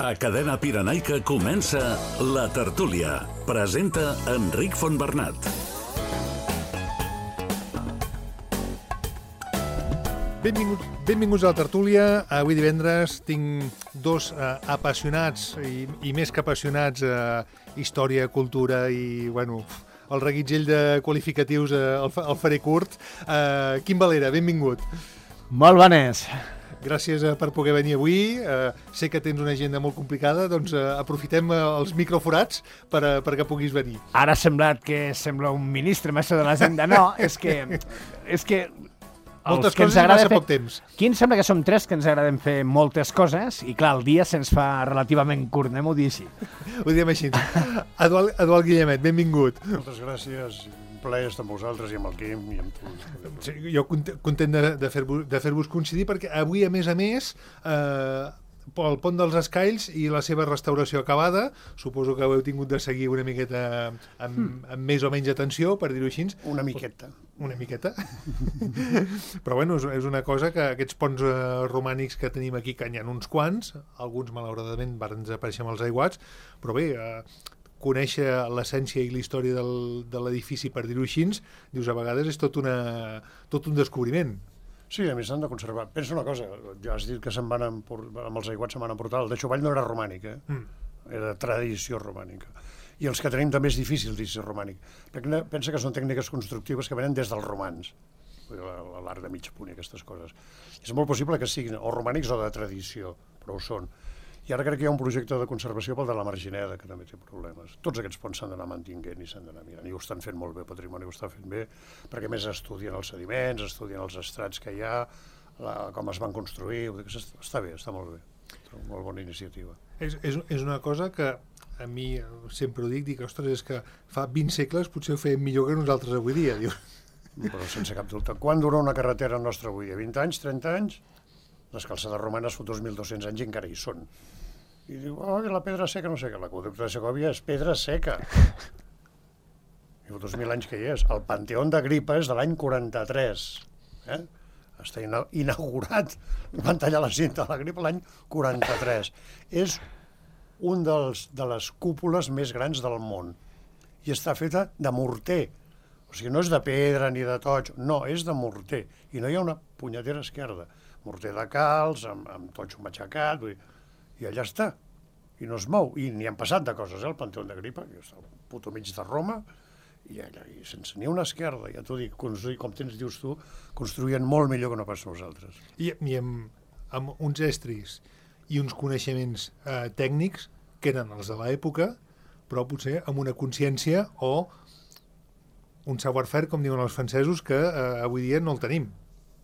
A Cadena Pirenaica comença La Tertúlia. Presenta Enric Fontbernat. Benvinguts a La Tertúlia. Avui divendres tinc dos apassionats i més que apassionats a història, cultura i, bueno, el reguitzell de qualificatius el faré curt. Quim Valera, benvingut. Molt bones. Gràcies per poder venir avui. Sé que tens una agenda molt complicada, doncs aprofitem els microforats perquè puguis venir. Ara ha semblat que sembla un ministre mestre de l'agenda. No, és que moltes coses i massa poc temps. Aquí em sembla que som tres que ens agraden fer moltes coses i, clar, el dia se'ns fa relativament curt, anem-ho dir així. Ho diem així. Eduard Guillemet, benvingut. Moltes gràcies. Un plaer estar amb vosaltres i amb el Quim i amb tu. Sí, jo content de fer-vos coincidir perquè avui, a més, el Pont dels Escaills i la seva restauració acabada, suposo que ho heu tingut de seguir una miqueta amb més o menys atenció, per dir-ho així. Una miqueta. Una miqueta. Però bueno, és una cosa que aquests ponts romànics que tenim aquí, que n'hi ha uns quants, alguns malauradament van desaparèixer amb els aiguats, però bé, conèixer l'essència i la història de l'edifici, per dir-ho així, dius, a vegades és tot un descobriment. Sí, a més s'han de conservar. Pensa una cosa, ja has dit que se'n van amb els aiguats se'n van emportar. El de Xovall no era romànic, era tradició romànica. I els que tenim també és difícil dir ser romànic. Perquè pensa que són tècniques constructives que venen des dels romans, l'art de mig punt i aquestes coses. És molt possible que siguin o romànics o de tradició, però ho són. I ara crec que hi ha un projecte de conservació pel de la Margineda, que també té problemes. Tots aquests ponts s'han d'anar mantinguent i s'han d'anar mirant. I ho estan fent molt bé, el patrimoni ho està fent bé, perquè més estudien els sediments, estudien els estrats que hi ha, com es van construir. Està bé, està molt bé. Molt bona iniciativa. És una cosa que a mi sempre ho dic, ostres, és que fa 20 segles potser ho feien millor que nosaltres avui dia. Però sense cap dubte. Quan dura una carretera nostra avui dia? 20 anys, 30 anys? Les calçades romanes fa 2.200 anys i encara hi són. I diu, la pedra seca, no sé què, l'aqüeducte de Segòvia és pedra seca. I fa 2.000 anys que hi és. El Panteó d'Agripa és de l'any 43. Està inaugurat. Van tallar la cinta a l'Agripa l'any 43. És un de les cúpules més grans del món. I està feta de morter. O sigui, no és de pedra ni de toig, no, és de morter. I no hi ha una punyetera esquerda. Morter de calç, amb totxo matxacat, i allà està. I no es mou. I n'hi han passat de coses, el Panteó d'Agripa, que està al puto mig de Roma, i allà, i sense ni una esquerda, ja t'ho dic, construir, com dius tu, construïen molt millor que no pas nosaltres. I amb uns estris i uns coneixements tècnics que eren els de l'època, però potser amb una consciència o un savoir-faire, com diuen els francesos, que avui dia no el tenim.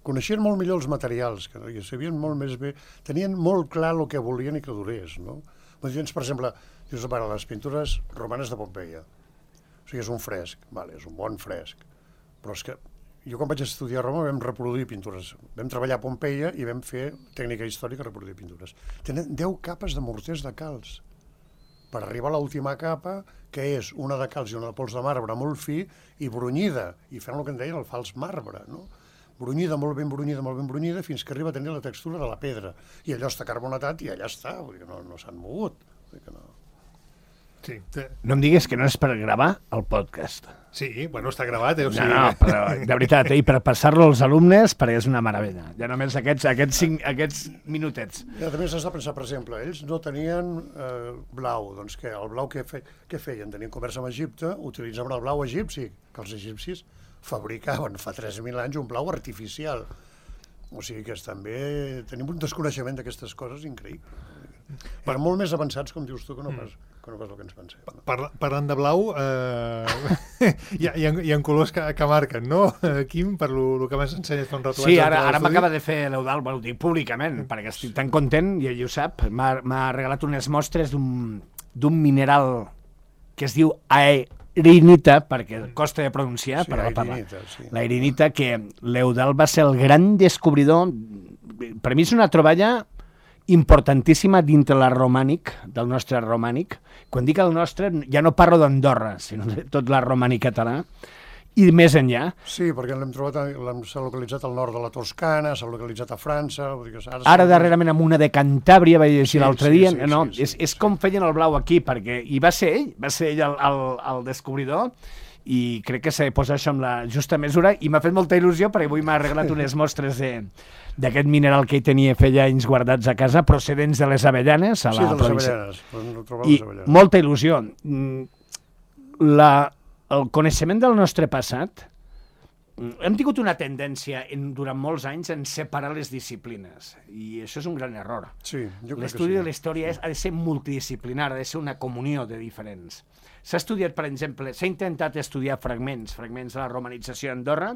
Coneixien molt millor els materials, que sabien molt més bé, tenien molt clar el que volien i que durés, no? Per exemple, dius, les pintures romanes de Pompeia. O sigui, és un fresc, és un bon fresc, però és que jo quan vaig estudiar a Roma vam reproduir pintures, vam treballar a Pompeia i vam fer tècnica històrica reproduir pintures. Tenen 10 capes de morters de calç per arribar a l'última capa, que és una de calç i una de pols de marbre molt fi i brunyida, i fent el que en deien el fals marbre, no? Brunyida, molt ben brunyida, fins que arriba a tenir la textura de la pedra. I allò està carbonatat i allà està, vull dir que no s'han mogut. Sí. No em diguis que no és per gravar el podcast. Sí, bueno, està gravat, o sigui... No, però de veritat, i per passar-lo als alumnes, perquè és una meravella. Ja només aquests minutets. Ja, també s'has de pensar, per exemple, ells no tenien blau, doncs què? El blau què feien? Tenien comerç amb Egipte, utilitzaven el blau egipci, que els egipcis fabricaven fa 3.000 anys un blau artificial. O sigui que també tenim un desconeixement d'aquestes coses increïble. Per molt més avançats, com dius tu, que no pas el que ens pensem. Parlant de blau, hi ha colors que marquen, no, Quim, per el que m'has ensenyat fa un rato? Sí, ara m'acaba de fer l'Eudald, ho dic públicament, perquè estic tan content, i ell ho sap, m'ha regalat unes mostres d'un mineral que es diu aerinita, perquè costa de pronunciar, sí, però la parla. Sí. L'aerinita, que l'Eudald va ser el gran descobridor. Per mi és una troballa importantíssima dintre del nostre romànic. Quan dic el nostre, ja no parlo d'Andorra, sinó de tot la romànic català. i més enllà. Sí, perquè s'ha localitzat al nord de la Toscana, s'ha localitzat a França... Vull dir que Ara darrerament amb una de Cantàbria, vaig llegir l'altre dia, sí, és com feien el blau aquí, perquè i va ser ell el descobridor, i crec que s'ha de posar això amb la justa mesura, i m'ha fet molta il·lusió perquè avui m'ha arreglat unes mostres d'aquest mineral que hi tenia feia anys guardats a casa, procedents de les Avellanes, a la província. I molta il·lusió. El coneixement del nostre passat, hem tingut una tendència durant molts anys en separar les disciplines, i això és un gran error. Sí, jo crec que sí. L'estudi de la història ha de ser multidisciplinar, ha de ser una comunió de diferents. S'ha estudiat, per exemple, s'ha intentat estudiar fragments de la romanització d'Andorra,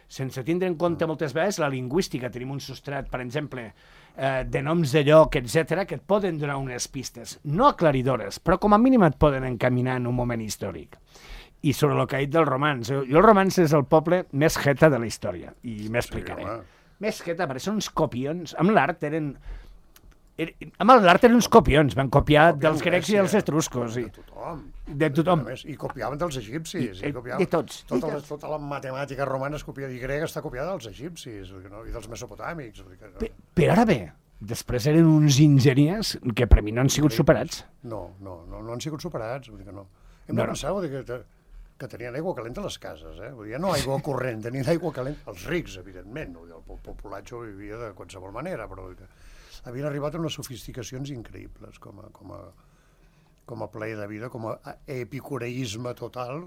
sense tindre en compte moltes vegades la lingüística. Tenim un substrat, per exemple, de noms de lloc, etc., que et poden donar unes pistes, no aclaridores, però com a mínim et poden encaminar en un moment històric. I sobre el que ha dit del romanç. Jo el romanç és el poble més jeta de la història, i m'explicaré. Més jeta, perquè són uns copions. Amb l'art eren uns copions, van copiar dels grecs i dels etruscos. De tothom. I copiaven dels egipcis. De tots. Tota la matemàtica romana i grega està copiada dels egipcis i dels mesopotàmics. Però ara bé, després eren uns ingeniers que per mi no han sigut superats. No han sigut superats, vull dir que no. Hem de pensar que tenien aigua calenta a les cases, Vull dir, no aigua corrent, tenien aigua calenta. Els rics, evidentment, el populatge vivia de qualsevol manera, però havien arribat a unes sofisticacions increïbles com a plaer de vida, com a epicureisme total.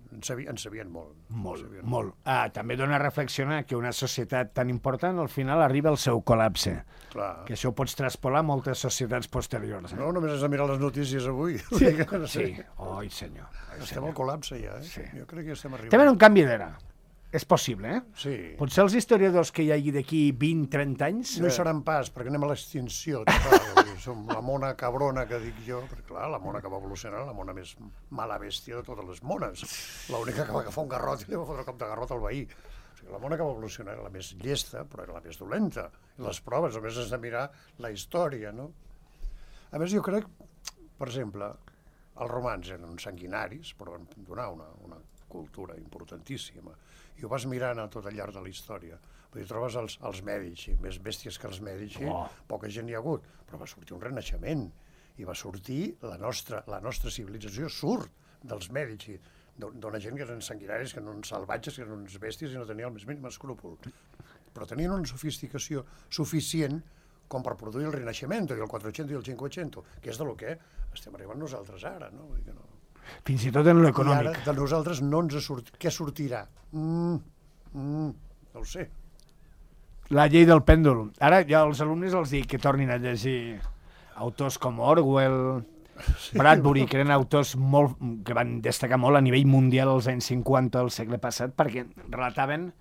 En sabien molt. Molt. També dona a reflexionar que una societat tan important al final arriba al seu col·lapse. Clar. Que això ho pots traspolar a moltes societats posteriors. No, només has de mirar les notícies avui. Sí. Oi, senyor. Estem al col·lapse ja, Sí. Jo crec que estem arribant. També un canvi d'era. És possible, Sí. Potser els historiadors que hi hagi d'aquí 20-30 anys... No hi seran pas, perquè anem a l'extinció total. Som la mona cabrona que dic jo, perquè clar, la mona que va evolucionar, la mona més mala bèstia de totes les mones. L'única que va agafar un garrot i li va fotre el cop de garrot al veí. O sigui, la mona que va evolucionar era la més llesta, però era la més dolenta. I les proves, només has de mirar la història, no? A més, jo crec, per exemple, els romans eren sanguinaris, però van donar una cultura importantíssima. I ho vas mirant a tot al llarg de la història. Vull dir, trobes els Mèdici, més bèsties que els Mèdici, poca gent hi ha hagut, però va sortir un renaixement, i va sortir la nostra civilització surt dels Mèdici, d'una gent que eren sanguinaris, que eren salvatges, que eren uns bèsties i no tenien el més mínim escrúpol. Però tenien una sofisticació suficient com per produir el Renaixement, i el 400 i el 500, que és del que estem arribant nosaltres ara, no? Vull dir que no. Fins i tot en l'econòmic. I ara de nosaltres no ens què sortirà? No ho sé. La llei del pèndol. Ara ja als alumnes els dic que tornin a llegir autors com Orwell, Bradbury, que eren autors que van destacar molt a nivell mundial als anys 50 del segle passat, perquè relataven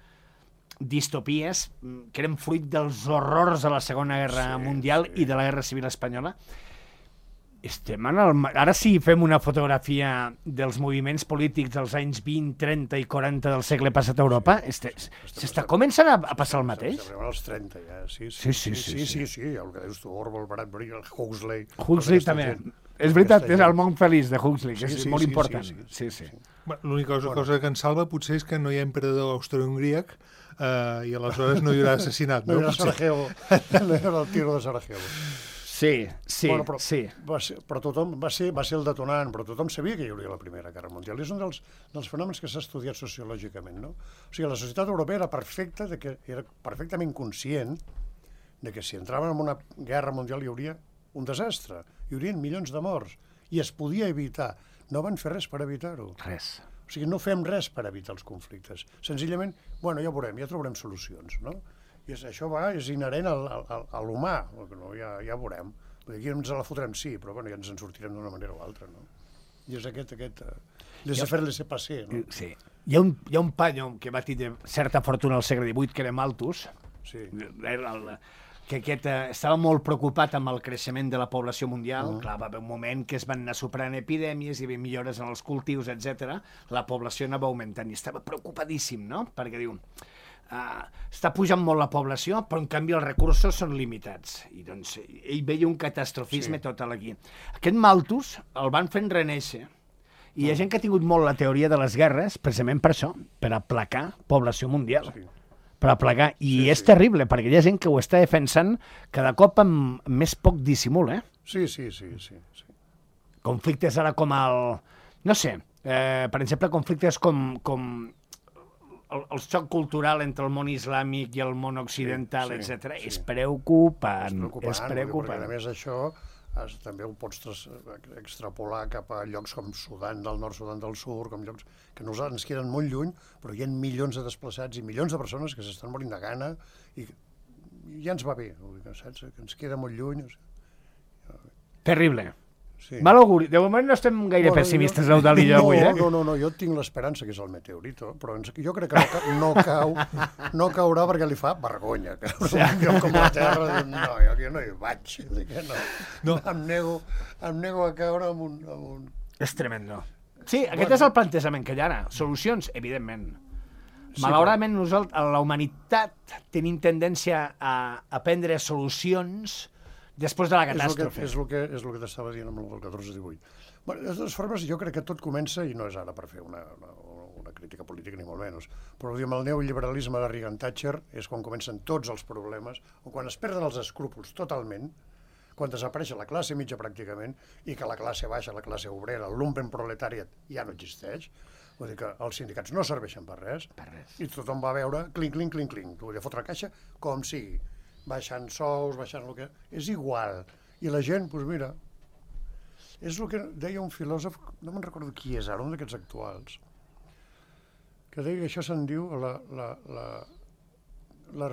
distopies que eren fruit dels horrors de la Segona Guerra Mundial i de la Guerra Civil Espanyola. Ara sí fem una fotografia dels moviments polítics dels anys 20, 30 i 40 del segle passat a Europa. S'està començant a passar el mateix? S'arriben als 30 ja, sí. El que dius tu, Orwell, Bradbury, Huxley... Huxley també. És veritat, és el món feliç de Huxley, que és molt important. Sí. L'única cosa que ens salva potser és que no hi ha emperador austro-hongríac i aleshores no hi haurà assassinat. No hi haurà Sarajevo, no hi haurà el tiro de Sarajevo. Sí. Però tothom va ser el detonant, però tothom sabia que hi hauria la Primera Guerra Mundial. És un dels fenòmens que s'ha estudiat sociològicament, no? O sigui, la societat europea era perfectament conscient de que si entraven en una guerra mundial hi hauria un desastre, hi haurien milions de morts, i es podia evitar. No van fer res per evitar-ho. Res. O sigui, no fem res per evitar els conflictes. Senzillament, ja veurem, ja trobarem solucions, no? I això és inherent a l'humà, ja veurem. Aquí ens la fotrem, sí, però ja ens en sortirem d'una manera o altra, no? I és aquest laissez-faire, laissez-passer, no? Sí. Hi ha un paio que va tenir certa fortuna al segle XVIII, que era Malthus, que estava molt preocupat amb el creixement de la població mundial. Clar, va haver un moment que es van anar superant epidèmies, hi havia millores en els cultius, etc. La població anava augmentant i estava preocupadíssim, no? Perquè diu... està pujant molt la població, però en canvi els recursos són limitats. I doncs ell veia un catastrofisme total aquí. Aquest Malthus el van fent renéixer I hi ha gent que ha tingut molt la teoria de les guerres, precisament per això, per aplacar població mundial. Sí. Per aplacar. I és terrible, perquè hi ha gent que ho està defensant cada cop amb més poc dissimul, eh? Sí. Conflictes ara com el... No sé, per exemple, conflictes com el xoc cultural entre el món islàmic i el món occidental, etc. És preocupant. És preocupant. Perquè, a més, això també ho pots extrapolar cap a llocs com Sudan del Nord, Sudan del Sud, com llocs que nosaltres ens queden molt lluny, però hi ha milions de desplaçats i milions de persones que s'estan morint de gana i ja ens va bé, saps? Que ens queda molt lluny. Terrible. Sí. Mal auguri. De moment no estem gaire pessimistes, Eudald i jo, avui, eh? No, jo tinc l'esperança que és el meteorito, però jo crec que no caurà perquè li fa vergonya. Jo com la Terra, jo no hi vaig. No. Em nego a caure amb un... És tremendo. Sí, aquest és el plantejament que hi ha ara. Solucions, evidentment. Malauradament, la humanitat tenim tendència a prendre solucions després de la catàstrofe. És el que t'estava dient amb el del 14-18. Bé, de totes formes, jo crec que tot comença, i no és ara per fer una crítica política ni molt menys, però amb el neoliberalisme de Reagan Thatcher és quan comencen tots els problemes, o quan es perden els escrúpols totalment, quan desapareix la classe mitja pràcticament, i que la classe baixa, la classe obrera, el lumpenproletariat ja no existeix, vull dir que els sindicats no serveixen per res, i tothom va veure clinc, clinc, clinc, clinc, vull dir, fotre caixa com sigui, baixant sous, baixant el que... És igual. I la gent, doncs mira, és el que deia un filòsof, no me'n recordo qui és ara, un d'aquests actuals, que deia que això se'n diu la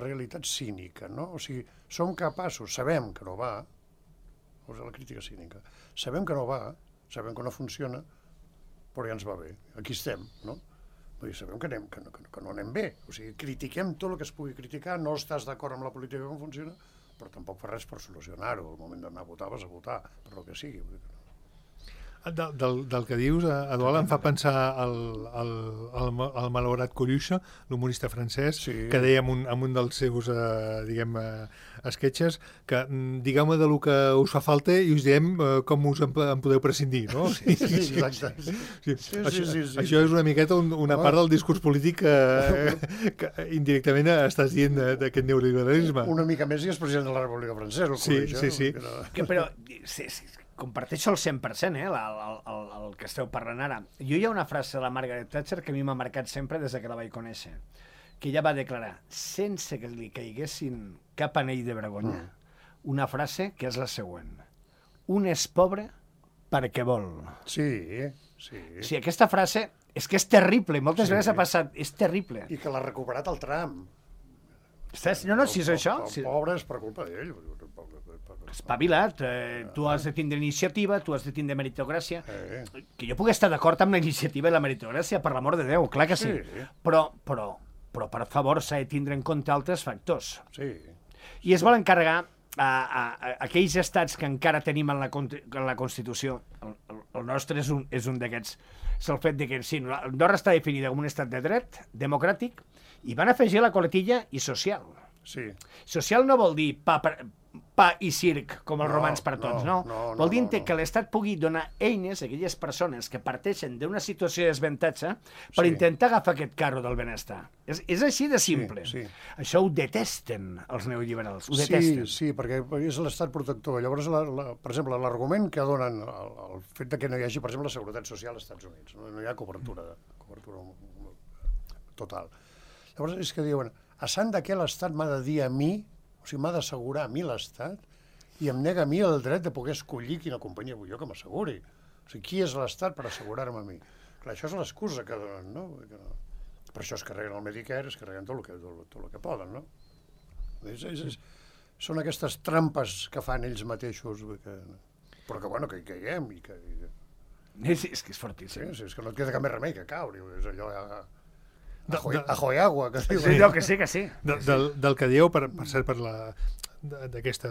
realitat cínica, no? O sigui, som capaços, sabem que no va, o sigui, la crítica cínica, sabem que no va, sabem que no funciona, però ja ens va bé, aquí estem, no? Vull dir, sabem que no anem bé. O sigui, critiquem tot el que es pugui criticar, no estàs d'acord amb la política com funciona, però tampoc fa res per solucionar-ho. Al moment d'anar a votar, vas a votar, per el que sigui. Del que dius, Eduard, em fa pensar el malaurat Coluche, l'humorista francès, que deia en un dels seus, sketches, que digueu-me del que us fa falta i us diem com us en podeu prescindir, no? Sí, exacte. Això és una miqueta una part del discurs polític que indirectament estàs dient d'aquest neoliberalisme. Una mica més i és president de la República Francesa, el Coluche. Sí. Però comparteixo el 100%, el que esteu parlant ara. Jo hi ha una frase de la Margaret Thatcher que a mi m'ha marcat sempre des que la vaig conèixer, que ella va declarar, sense que li caiguessin cap anell de vergonya, una frase que és la següent. Un és pobre perquè vol. Sí. Sí, aquesta frase és que és terrible, moltes vegades ha passat, és terrible. I que l'ha recuperat el Trump. No, si és això... El pobre és per culpa d'ell. Espavila't, tu has de tindre iniciativa, tu has de tindre meritocràcia. Que jo pugui estar d'acord amb la iniciativa i la meritocràcia, per l'amor de Déu, clar que sí. Però per favor, s'ha de tindre en compte altres factors. Sí. I es vol encarregar a aquells estats que encara tenim en la Constitució. El nostre és un d'aquests. És el fet que sí, Andorra està definida com un estat de dret, democràtic, i van afegir la coletilla i social. Sí. Social no vol dir pa i circ, com els romans per tots, no. Vol dir que l'Estat pugui donar eines a aquelles persones que parteixen d'una situació de desavantatge per intentar agafar aquest carro del benestar. És així de simple. Això ho detesten els neoliberals, ho detesten. Sí, perquè és l'Estat protector. Llavors, per exemple, l'argument que donen el fet que no hi hagi, per exemple, la seguretat social als Estats Units, no hi ha cobertura total. Llavors és que diuen, a sant de què l'Estat m'ha de dir a mi, o sigui, m'ha d'assegurar a mi l'Estat i em nega a mi el dret de poder escollir quina companyia vull jo que m'asseguri. O sigui, qui és l'Estat per assegurar-me a mi? Clar, això és l'excusa que donen, no? Per això es carreguen el Medicare, es carreguen tot el que poden, no? Són aquestes trampes que fan ells mateixos, però que, bueno, que hi caiguem i que... És que és fortíssim. Sí, és que no et queda cap més remei que caure, és allò... Ajo y agua, que diu. Sí, que sí. Del que dieu, per cert, d'aquesta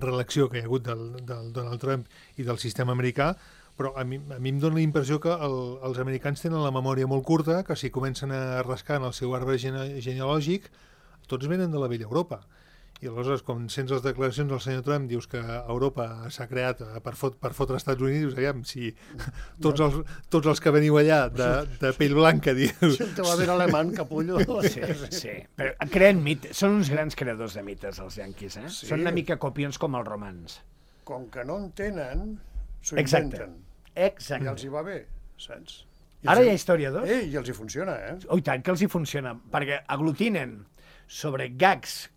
relació que hi ha hagut del Donald Trump i del sistema americà, però a mi em dóna la impressió que els americans tenen la memòria molt curta, que si comencen a rascar en el seu arbre genealògic, tots venen de la vella Europa. I aleshores, quan sents les declaracions del senyor Trump, dius que Europa s'ha creat per fotre als Estats Units, dius, aviam, si tots els que veniu allà de pell blanca, dius... Si el teu avi era alemany, capullo... Sí. Però creen mites, són uns grans creadors de mites, els yanquis, eh? Sí. Són una mica copions com els romans. Com que no en tenen, s'ho Exacte. inventen. Exacte. I els hi va bé, saps? Ara hi ha historiadors? I els hi funciona, Oh, i tant que els hi funciona, perquè aglutinen sobre gags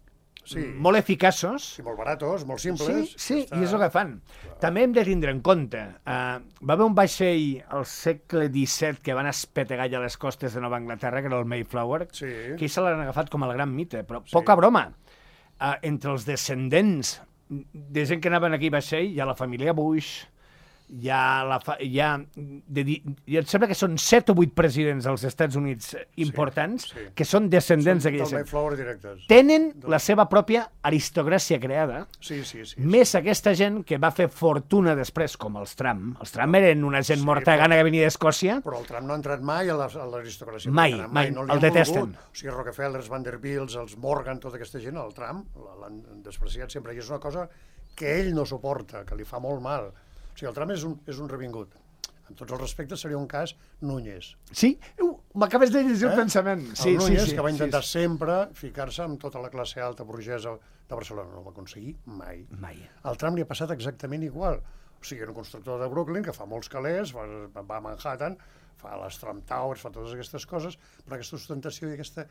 Sí. molt eficaços. Sí, molt baratos, molt simples. Sí, i és el que fan. També hem de tindre en compte, va haver un vaixell al segle XVII que van espetegar ja a les costes de Nova Anglaterra, que era el Mayflower, Sí. que ells se l'han agafat com el gran mite, però poca broma. Entre els descendents de gent que anaven aquí a vaixell, hi ha la família Bush, em sembla que són 7 o 8 presidents dels Estats Units importants sí. que són descendents Del d'aquella gent. Mayflower directes. Tenen la seva pròpia aristocràcia creada, Sí. més aquesta gent que va fer fortuna després, com els Trump. Els Trump eren una gent mortagana que venia d'Escòcia. Però el Trump no ha entrat mai a l'aristocràcia. Mai, americana, mai, no li el han detesten. volgut. O sigui, Rockefeller, Vanderbilt, els Morgan, tota aquesta gent, el Trump l'han despreciat sempre. I és una cosa que ell no suporta, que li fa molt mal. O sigui, el Trump és un revingut. Amb tots els respectes seria un cas Núñez. Sí, m'acabes de llegir el pensament. Sí, el Núñez, sí, que va intentar sempre ficar-se amb tota la classe alta burgesa de Barcelona. No ho va aconseguir mai. Mai. Al Trump li ha passat exactament igual. O sigui, era un constructor de Brooklyn que fa molts calés, va a Manhattan, fa les Trump Towers, fa totes aquestes coses, però aquesta ostentació i aquest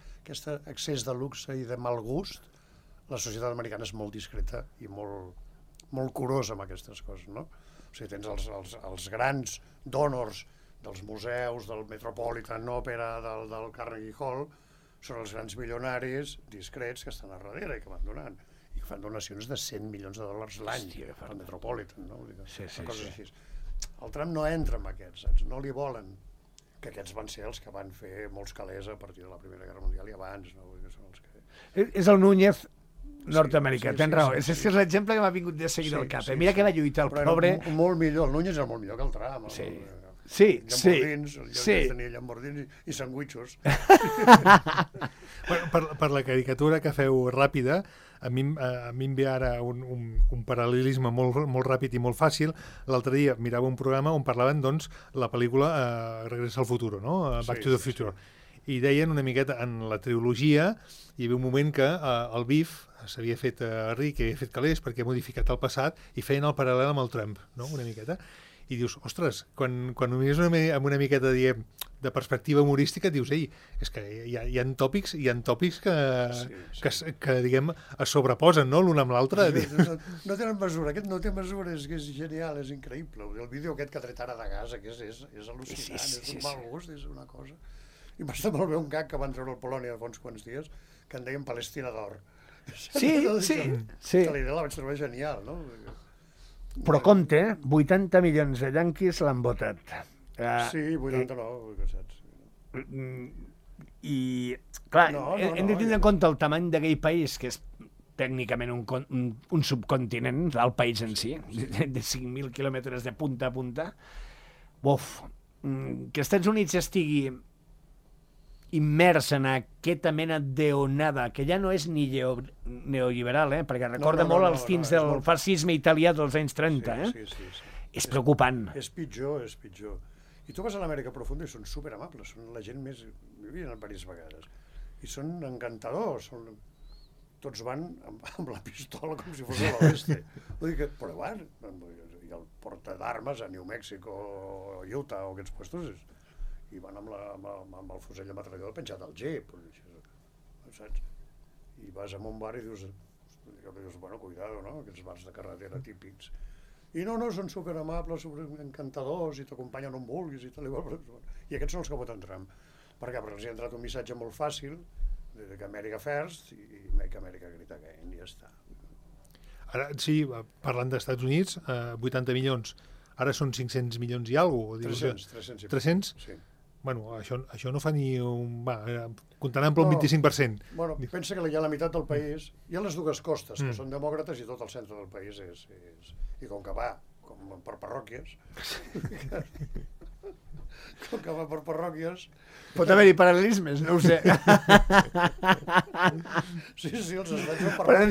excés de luxe i de mal gust, la societat americana és molt discreta i molt curosa amb aquestes coses, no? O sigui, tens els grans donors dels museus, del Metropolitan Opera, del Carnegie Hall, són els grans milionaris discrets que estan a darrere i que van donant. I que fan donacions de $100 milions l'any al Metropolitan, no? Sí. Coses així. El Trump no entra en aquests, saps? No li volen, que aquests van ser els que van fer molts calés a partir de la Primera Guerra Mundial i abans, no? Que són els que... És el Núñez nord-americà, tens raó. Sí. És l'exemple que m'ha vingut de seguida al cap. Mira que va lluitar el Però pobre... era molt millor, el Núñez era molt millor que el Trump. Sí. Tenia llambordins i sandwichos. Per la caricatura que feu ràpida, a mi em ve ara un paral·lelisme molt ràpid i molt fàcil. L'altre dia mirava un programa on parlaven, doncs, la pel·lícula Regressa al futuro, no? Back to the Future. I deien una miqueta, en la trilogia, hi havia un moment que el Biff s'havia fet ric, havia fet calés perquè ha modificat el passat i feien el paral·lel amb el Trump, no? Una miqueta. I dius, ostres, quan ho mires amb una miqueta de perspectiva humorística, dius, ei, és que hi ha tòpics que diguem, es sobreposen, no?, l'un amb l'altre. No tenen mesura, aquest no té mesura, és que és genial, és increïble. El vídeo aquest que ha tret ara de Gaza, que és al·lucinant, és un mal gust, és una cosa... I m'està molt bé un gag que van treure al Polònia fa uns quants dies, que en deien Palestina d'or. Sí. Que la idea la vaig trobar genial, no? Però compte, 80 milions de yanquis l'han votat. Sí, 89, saps? I, clar, hem de tindre en compte el tamany d'aquell país, que és tècnicament un subcontinent, el país en si, de 5.000 quilòmetres de punta a punta. Que els Estats Units estigui immers en aquesta mena d'onada, que ja no és ni neoliberal, perquè recorda molt els tints del fascisme italià dels anys 30. Sí. És preocupant. És pitjor. I tu vas a l'Amèrica Profunda i són superamables, són la gent més... Vivien diverses vegades. I són encantadors, tots van amb la pistola com si fos a l'oeste. Vull dir que, però van, i el porta d'armes a New Mexico, Utah o aquests puestos, i van amb el fusell de metrallador penjat al jeep, saps? I vas a un bar i dius, bueno, cuidado, no?, aquests bars de carretera típics. I no, són superamables, superencantadors, i t'acompanyen on vulguis, i tal, i aquests són els que voten Trump. Per què? Perquè els hi ha entrat un missatge molt fàcil, que America first, i Make America Great Again, i ja està. Ara, sí, parlant d'Estats Units, 80 milions, ara són 500 milions i alguna cosa. 300. 300? Sí. Bueno, això no fa ni un... comptaran per un 25%. Bueno, pensa que hi ha la meitat del país, hi ha les dues costes, que són demòcrates, i tot el centre del país és... I com que va, com per parròquies, com que va per parròquies... Pot haver-hi paral·lelismes, no ho sé. Sí, els estats de Però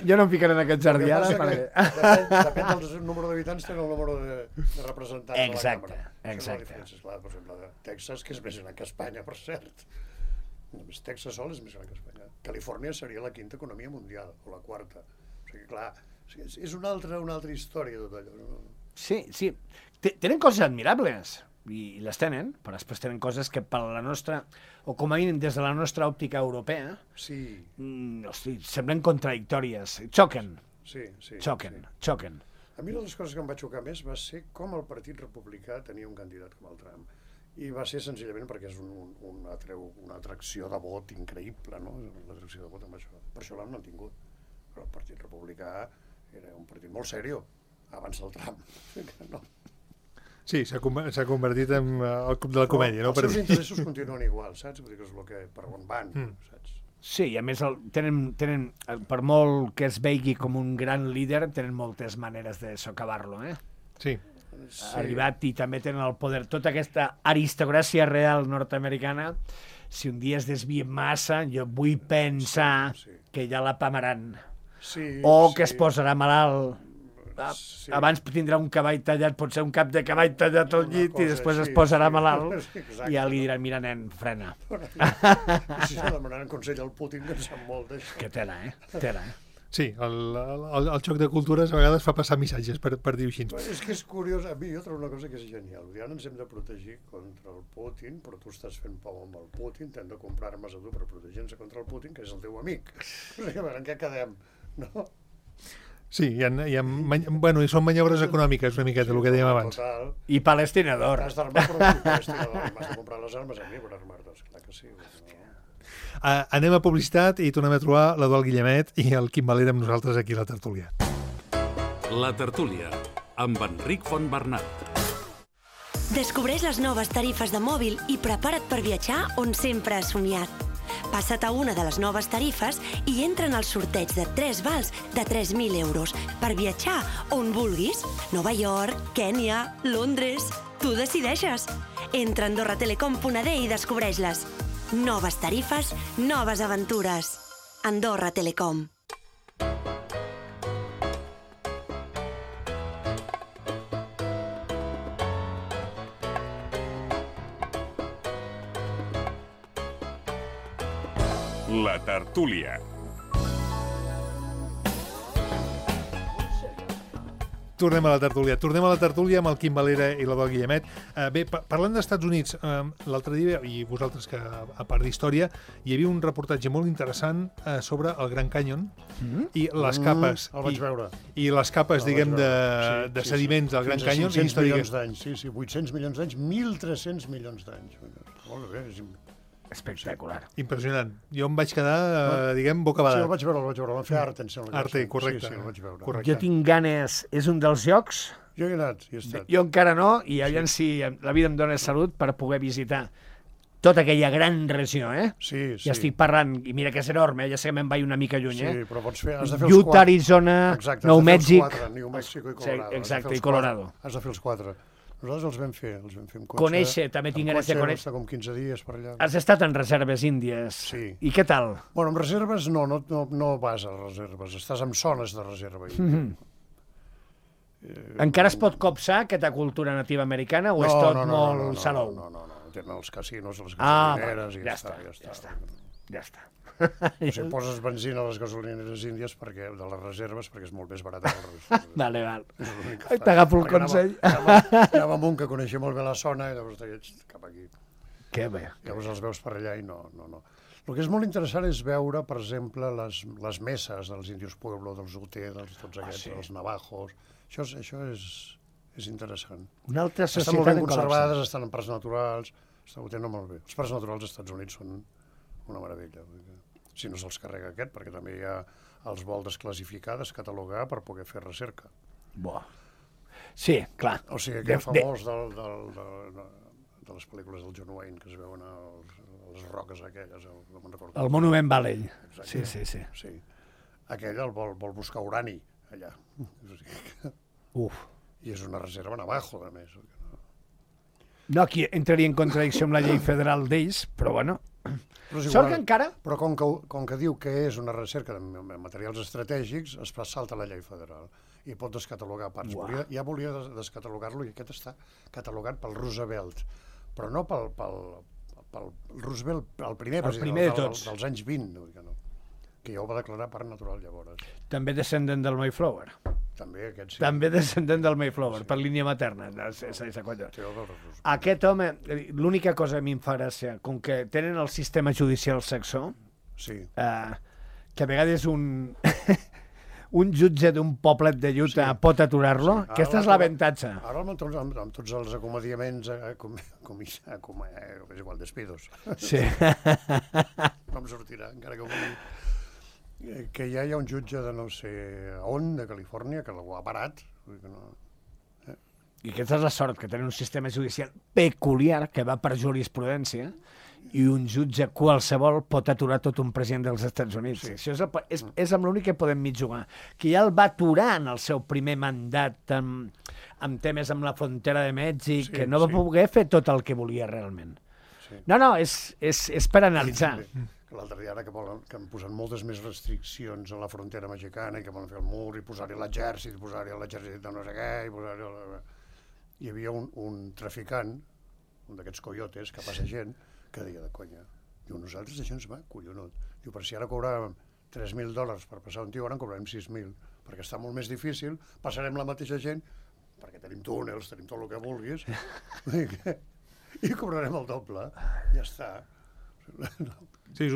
jo no em ficaré en aquest jardí ara. Depèn del número d'habitants, tenen el número de representants de la Exacte, Càmara. exacte. Clar, per exemple, de Texas, que és més gran que Espanya, per cert. Només Texas sol és més gran que Espanya. Califòrnia seria la quinta economia mundial, o la quarta. O sigui, clar, és una altra història tot allò. No? Sí. Tenen coses admirables, i les tenen, però després tenen coses que per la nostra, o com a mínim des de la nostra òptica europea, Sí. Hosti, semblen contradictòries. Xoquen. Xoquen. A mi una de les coses que em va xocar més va ser com el Partit Republicà tenia un candidat com el Trump. I va ser senzillament perquè és una atracció de vot increïble, no? L'atracció de vot amb això. Per això l'han mantingut. Però el Partit Republicà era un partit molt seriós abans del Trump. No. Sí, s'ha convertit en el club de la comèdia, no? Els seus interessos continuen igual, saps? Vull dir que és el que per on van, saps? Sí, i a més tenen, per molt que es vegi com un gran líder, tenen moltes maneres de socavar-lo, eh? Sí. Ha arribat i també tenen el poder. Tota aquesta aristocràcia real nord-americana, si un dia es desvia massa, jo vull pensar que ja la pamaran. O que es posarà malalt. Abans tindrà un cavall tallat, pot ser un cap de cavall tallat al llit i després es posarà malalt i ja li diran, mira nen, frena. Si se demanaran consell al Putin, que en sap molt d'això. Que tela, Tela, Sí, el xoc de cultures a vegades fa passar missatges, per dir-ho així. És que és curiós, a mi jo trobo una cosa que és genial. Ara ens hem de protegir contra el Putin, però tu estàs fent pau amb el Putin, t'hem de comprar armes a tu per protegir-nos contra el Putin, que és el teu amic. O sigui, a veure, en què quedem? No? Sí, i són maniobres econòmiques una miqueta, el que dèiem abans. Total. I palestinador. T'has d'armar per un palestinador i m'has de comprar les armes a mi per armar-te, clar que sí. Anem a publicitat i tornem a trobar l'Eduard Guillemet i el Quim Valera amb nosaltres aquí a la tertúlia. La tertúlia, amb Enric Fontbernat. Descobreix les noves tarifes de mòbil i prepara't per viatjar on sempre has somiat. Passa't a una de les noves tarifes i entra en el sorteig de 3 vals de 3.000 euros per viatjar on vulguis. Nova York, Kènia, Londres... Tu decideixes. Entra a AndorraTelecom.d i descobreix-les. Noves tarifes, noves aventures. Andorra Telecom. La tertúlia. Tornem a la tertúlia amb el Quim Valera i l'Eduard Guillemet. Bé, parlant dels Estats Units, l'altre dia, i vosaltres que a part d'història, hi havia un reportatge molt interessant sobre el Grand Canyon i les capes. El vaig veure. I les capes, diguem, de sediments del Grand Canyon. Fins a 500 milions d'anys, 800 milions d'anys, 1.300 milions d'anys. Molt bé, espectacular. Impressionant. Jo em vaig quedar, diguem, bocabadat. Sí, el vaig veure. Vam fer Arte, em sembla. Arte, correcte. Sí, el vaig veure. Correcte. Jo tinc ganes, és un dels llocs... Jo he anat, hi he estat. Jo encara no, i llavors si la vida em dóna salut per poder visitar tota aquella gran regió, Sí. Ja estic parlant, i mira que és enorme, ja sé que me'n vaig una mica lluny, Sí, però pots fer, has de fer els 4. Utah, Arizona, Nou Mèxic... New Mexico i Colorado. Exacte, i Colorado. Has de fer els 4. Nosaltres els vam fer amb cotxe. Conèixer, també tinc ganes de conèixer. Estar com 15 dies per allà. Has estat en reserves índies. Sí. I què tal? Bueno, amb reserves no vas a reserves, estàs en zones de reserva. Encara es pot copsar aquesta cultura nativa americana o és tot molt salou? No, tenen els casinos, les gasolineres i ja està. O sigui, poses benzina a les gasolineres índies de les reserves perquè és molt més barat. Vale. T'agafo el consell. Anava amb un que coneixia molt bé la zona i llavors deia, cap aquí. Que bé. Llavors els veus per allà i no. El que és molt interessant és veure, per exemple, les messes dels Indios Pueblo, dels Ute, tots aquests, dels Navajos. Això és interessant. Una altra societat estan molt ben conservades, estan en parcs naturals, ho tenen molt bé. Els parcs naturals als Estats Units són una meravella. Si no se'ls carrega aquest, perquè també hi ha els vol desclassificar, descatalogar per poder fer recerca. Sí, clar. O sigui, aquest famós de les pel·lícules del John Wayne, que es veuen a les roques aquelles, no me'n recordo. El Monument Valley. Sí. Aquell el vol buscar urani, allà. I és una reserva navajo, a més. No, aquí entraria en contradicció amb la llei federal d'ells, però bueno. Però és Sort igual, que encara... Però com que diu que és una recerca de materials estratègics, es salta la llei federal i pot descatalogar parts. Ja volia descatalogar-lo i aquest està catalogat pel Roosevelt, però no pel Roosevelt, el primer primer de tots. dels anys 20, que ja ho va declarar parc natural llavors. També descendent del Mayflower. També aquest sí. També descendent del Mayflower, per línia materna. Aquest home, l'única cosa que a mi em fa gràcia, com que tenen el sistema judicial saxó, sí. Que a vegades un jutge d'un poblet de Utah pot aturar-lo, sí. Aquesta és l'avantatge. Ara amb tots els acomodiaments, és igual, despidos. Sí. No em sortirà, encara que ho vulgui. Que ja hi ha un jutge de no sé on, de Califòrnia, que l'ho ha parat. I aquesta és la sort, que tenen un sistema judicial peculiar que va per jurisprudència i un jutge qualsevol pot aturar tot un president dels Estats Units. Sí. Això és amb l'únic que podem mig jugar. Que ja el va aturar en el seu primer mandat amb temes amb la frontera de Mèxic, que no va poder fer tot el que volia realment. Sí. No, és per analitzar. L'altre dia ara que han posat moltes més restriccions a la frontera mexicana i que volen fer el mur i posar-hi l'exèrcit, posar-hi l'exèrcit de no sé què, i posar-hi... Hi havia un traficant, un d'aquests coyotes, que passa gent, que deia de conya. Diu, nosaltres això ens va collonut. Diu, per si ara cobràvem $3.000 per passar un tio, ara en cobrarem 6.000, perquè està molt més difícil, passarem la mateixa gent, perquè tenim túnels, tenim tot el que vulguis, i cobrarem el doble. Ja està. Sí, és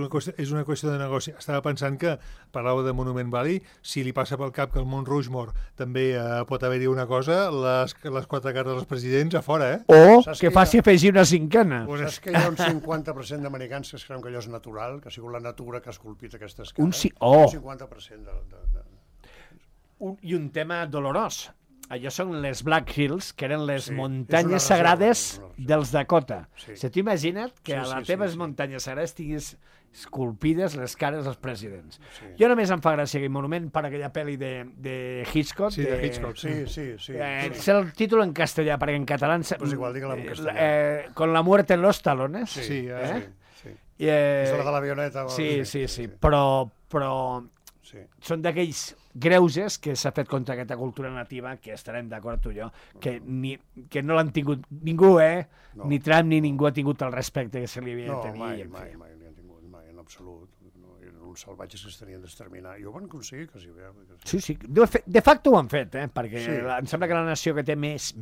una qüestió de negoci. Estava pensant que parlava de Monument Valley, si li passa pel cap que el Mont Rushmore també pot haver-hi una cosa, les 4 cares dels presidents a fora, O que faci afegir una cinquena. Saps que hi ha un 50% d'americans que es creuen que allò és natural, que ha sigut la natura que ha esculpit aquestes cares? Un 50% I un tema dolorós. Allò són les Black Hills, que eren les muntanyes sagrades dels Dakota. Se t'ho imagina't que a les teves muntanyes sagrades tinguis esculpides les cares dels presidents. Jo només em fa gràcia aquell monument per aquella pel·li de Hitchcock. Sí, de Hitchcock. Sí. Sé el títol en castellà, perquè en català... Pues igual, digue-la en castellà. Con la muerte en los talones. Sí. És la de l'avioneta. Sí. Però són d'aquells greuges que s'ha fet contra aquesta cultura nativa, que estarem d'acord tu i jo, que no l'han tingut ningú, ni Trump ni ningú ha tingut el respecte que se li havia de tenir. No, mai li han tingut, mai, en absolut. Eren uns salvatges que es tenien d'exterminar. I ho van aconseguir, quasi bé. Sí. De facto ho han fet, perquè em sembla que la nació que té més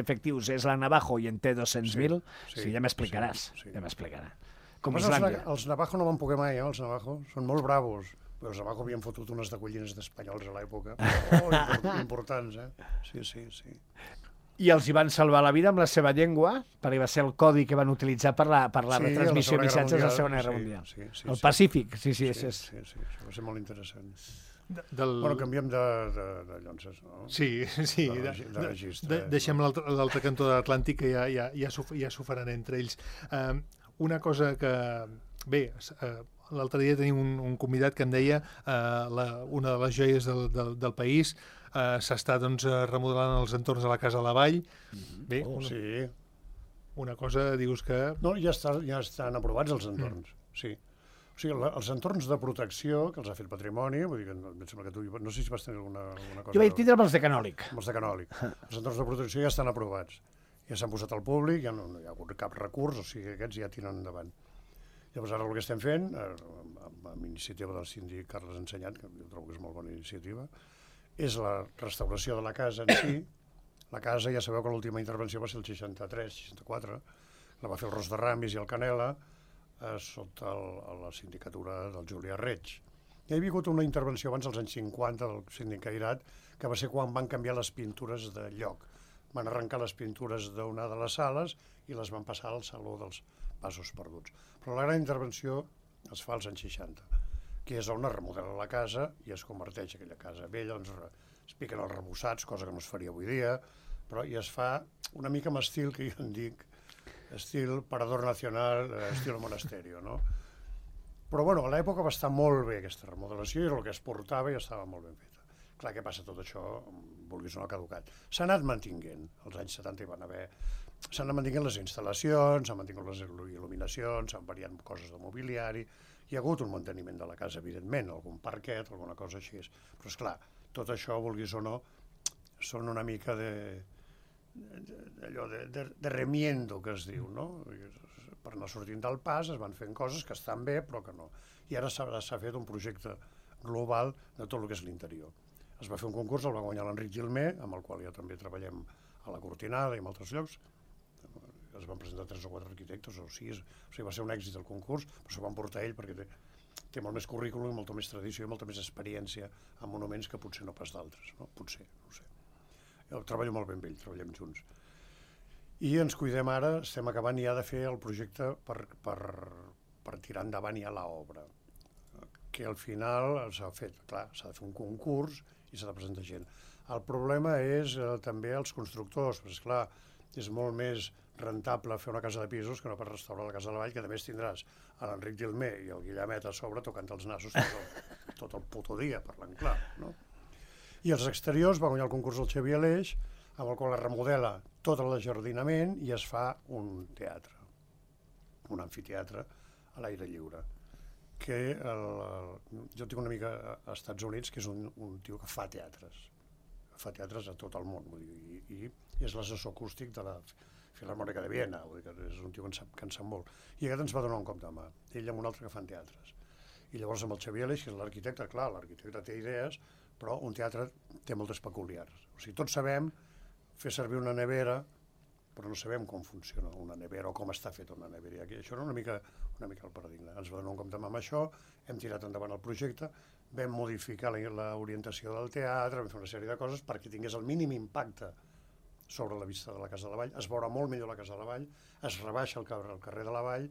efectius és la Navajo i en té 200.000. Sí, ja m'explicaràs. Com Islàndia. Els Navajo no van poder mai, els Navajo. Són molt bravos. Però els Navajo havien fotut unes decollines d'espanyols a l'època. Importants, Sí. I els hi van salvar la vida amb la seva llengua, perquè va ser el codi que van utilitzar per la retransmissió de missatges de la Segona Guerra Mundial. El Pacífic, sí. Això va ser molt interessant. Bueno, canviem de llonces, no? Sí. De registre. Deixem l'altre cantó de l'Atlàntic, que ja s'ho faran entre ells. Una cosa que... Bé, l'altre dia tenim un convidat que em deia una de les joies del país s'està remodelant els entorns de la Casa de la Vall. Bé, una cosa, dius que... No, ja estan aprovats els entorns, sí. O sigui, els entorns de protecció que els ha fet Patrimoni, vull dir que em sembla que tu... No sé si vas tenir alguna cosa... Jo vaig tindre amb els de Canòlic. Amb els de Canòlic. Els entorns de protecció ja estan aprovats. Ja s'han posat al públic, ja no hi ha hagut cap recurs, o sigui, aquests ja tiren endavant. Llavors ara el que estem fent, amb iniciativa del síndic Carles Ensenyat, que jo trobo que és molt bona iniciativa, és la restauració de la casa en si. La casa, ja sabeu que l'última intervenció va ser el 63-64, la va fer el Ros de Ramis i el Canela, sota la sindicatura del Julià Reig. Hi havia hagut una intervenció abans dels anys 50 del síndic Cairat, que va ser quan van canviar les pintures de lloc. Van arrencar les pintures d'una de les sales i les van passar al Saló dels Passos Perduts. Però la gran intervenció es fa als anys 60, que és on es remodela la casa i es converteix aquella casa vella, es piquen els rebossats, cosa que no es faria avui dia, però i es fa una mica amb estil que jo en dic, estil Parador Nacional, estil Monasterio, no? Però bueno, a l'època va estar molt bé aquesta remodelació i el que es portava ja estava molt ben feta. Clar, què passa? Tot això, vulguis o no, ha caducat. S'ha anat mantinguent. Als anys 70 hi van haver s'han mantingut les instal·lacions, s'han mantingut les il·luminacions, s'han variat coses de mobiliari, hi ha hagut un manteniment de la casa, evidentment, algun parquet, alguna cosa així. Però, esclar, tot això, vulguis o no, són una mica de remiendo, que es diu, no? Per anar sortint del pas es van fent coses que estan bé, però que no. I ara s'ha fet un projecte global de tot el que és l'interior. Es va fer un concurs, el va guanyar l'Enric Gilmer, amb el qual ja també treballem a la Cortinada i en altres llocs. Es van presentar 3 o 4 arquitectes o 6, o sigui, va ser un èxit el concurs, però s'ho van portar ell perquè té molt més currículum, molta més tradició i molta més experiència en monuments que potser no pas d'altres, no? Potser, no ho sé. Jo treballo molt bé amb ell, treballem junts. I ens cuidem ara, estem acabant ja de fer el projecte per tirar endavant ja l'obra, que al final s'ha fet, clar, s'ha de fer un concurs i s'ha de presentar gent. El problema és també els constructors, perquè esclar, és molt més rentable fer una casa de pisos que no per restaurar la casa de la Vall, que a més tindràs a l'Enric Gilmer i el Guillemet a sobre tocant els nassos tot el puto dia, parlant clar, no? I els exteriors va guanyar el concurs del Xavier Aleix, amb el qual es remodela tot l'ajardinament i es fa un teatre, un amfiteatre a l'aire lliure. Que jo tinc una amiga als Estats Units que és un tio que fa teatres a tot el món, vull dir, i és l'assessor acústic de la Filharmònica de Viena, vull dir que és un tio que en sap molt. I aquest ens va donar un cop de mà, ell amb un altre que fan teatres. I llavors amb el Xavier Aleix, que és l'arquitecte, clar, l'arquitecte té idees, però un teatre té moltes peculiars. O sigui, tots sabem fer servir una nevera, però no sabem com funciona una nevera o com està feta una nevera. I això era una mica el paradigma. Ens va donar un cop de mà amb això, hem tirat endavant el projecte, vam modificar l'orientació del teatre, vam fer una sèrie de coses perquè tingués el mínim impacte sobre la vista de la Casa de la Vall, es veurà molt millor la Casa de la Vall, es rebaixa el carrer de la Vall,